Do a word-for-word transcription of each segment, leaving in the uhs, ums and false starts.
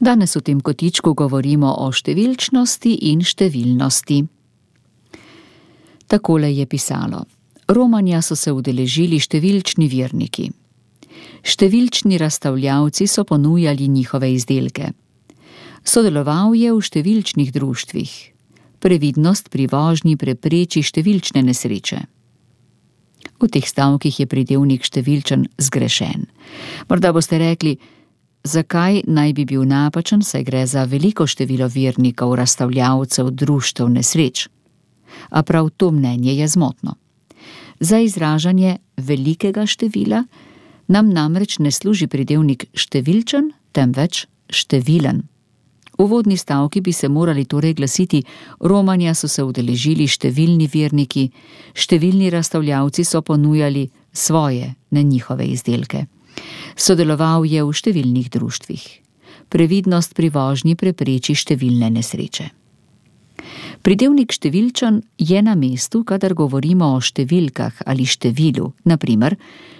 Danes v tem kotičku govorimo o številčnosti in številnosti. Takole je pisalo. Romanja so se udeležili številčni verniki. Številčni razstavljavci so ponujali njihove izdelke. Sodeloval je v številčnih društvih. Previdnost pri vožnji prepreči številčne nesreče. V teh stavkih je pridevnik številčen zgrešen. Morda boste rekli, zakaj naj bi bil napačen, saj gre za veliko število vernikov, razstavljavcev, društev, nesreč. A prav to mnenje je zmotno. Za izražanje velikega števila nam namreč ne služi pridevnik številčen, temveč številen. Uvodni stavki bi se morali torej glasiti: Romanja so se udeležili številni verniki, številni razstavljavci so ponujali svoje, ne njihove izdelke. Sodeloval je v številnih društvih. Previdnost pri vožnji prepreči številne nesreče. Pridevnik številčen je na mestu, kadar govorimo o številkah ali številu, na primer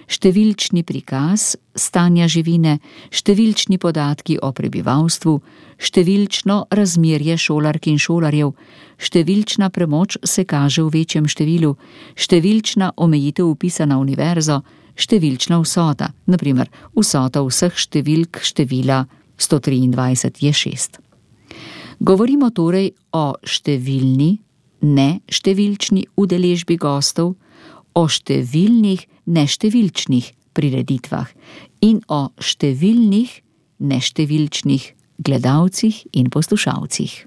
številčni prikaz stanja živine, številčni podatki o prebivalstvu, številčno razmerje šolark in šolarjev, številčna premoč se kaže v večjem številu, številčna omejitev vpisa na univerzo, številčna vsota, na primer vsota vseh številk števila sto triindvajset je šest. Govorimo torej o številni, ne številčni udeležbi gostov, o številnih neštevilčnih prireditvah in o številnih neštevilčnih gledalcih in poslušalcih.